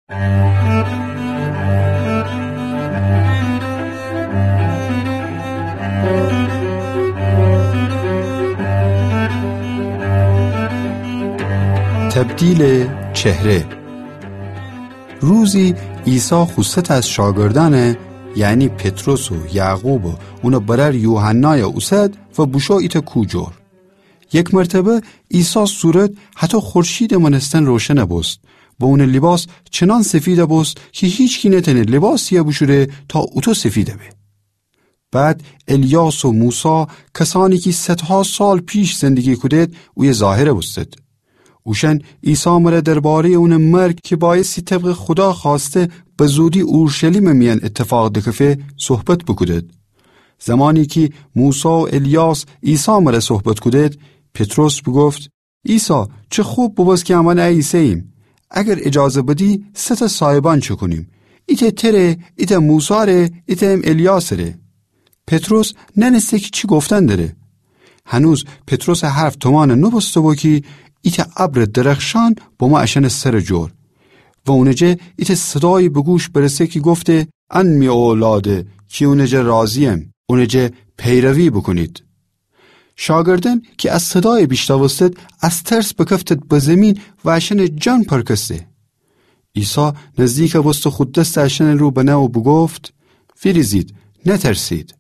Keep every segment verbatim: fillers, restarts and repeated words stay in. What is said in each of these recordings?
تبدیل چهره. روزی عیسی خو ست از شاگردأنه، یعنی پطرس و یعقوب و اونٚ برأر یوحنای اوسد و بوشو ایتأ کو جور. یک مرتبه عیسی صورت هتو خورشیدٚ مأنستن روشن بوست و اونٚ لیباس چنان سفید بوست کی هیچکی نتأنه لیباسیی بوشوره تا اوتو سفید به. بعد الیاس و موسی، کسأنی کی صدها سال پیش زندگی کودید، اویه ظاهر بوستید. اوشأن عیسی مره درباره‌یٚ اونٚ مرگ کی بأیستی طبقٚ خودا خوأسته به زودی اورشلیمٚ میأن ایتفاق دکفه، صحبت بوکودید. زمانی کی موسی و الیاس عیسی مره صحبت کودید، پطرس بوگفت: عیسی، چه خب بوبوست کی امأن ایسه‌ییم. اگر ایجازه بدی، سه تأ صایبأن چکونیم. ایتأ تره، ایتأ موساره، ایتأ ام الیاسره. پطرس نأنسته کی چی گفتن دره. هنوز پطرسٚ حرف تومأن نوبوسته بو کی ایتأ ابرٚ درخشان بمو اشأنٚ سرٚ جور. و اونٚ جه ایتأ صدایی به گوش برسه کی گفته: ان می اولاده کی اونٚ جه راضییم، اونٚ جه پیروی بوکونید. شاگردأن کی ا صدای بیشنوستید، از ترس بکفتید به زیمین و اشأنٚ جان پرکسته. عیسی نزدیک بوسته خو دستٚ اشأنٚ رو بنه و بوگفت: ویریزید، نترسید.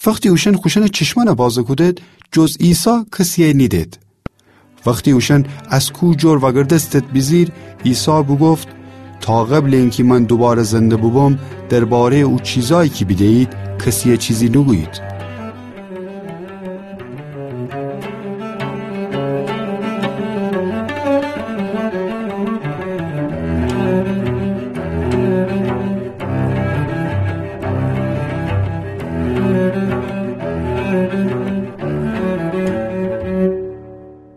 وختی اوشأن خوشأنٚ چشمأن بازه کودید، جز عیسی کسیی نیدید. وختی اوشأن از کو جور وأگردستید بیجیر، عیسی بوگفت: تا قبلٚ اینکی من دوباره زنده بوبم، درباره‌یٚ او چیزایی کی بیده‌یید، کسیی چیزی نوگویید.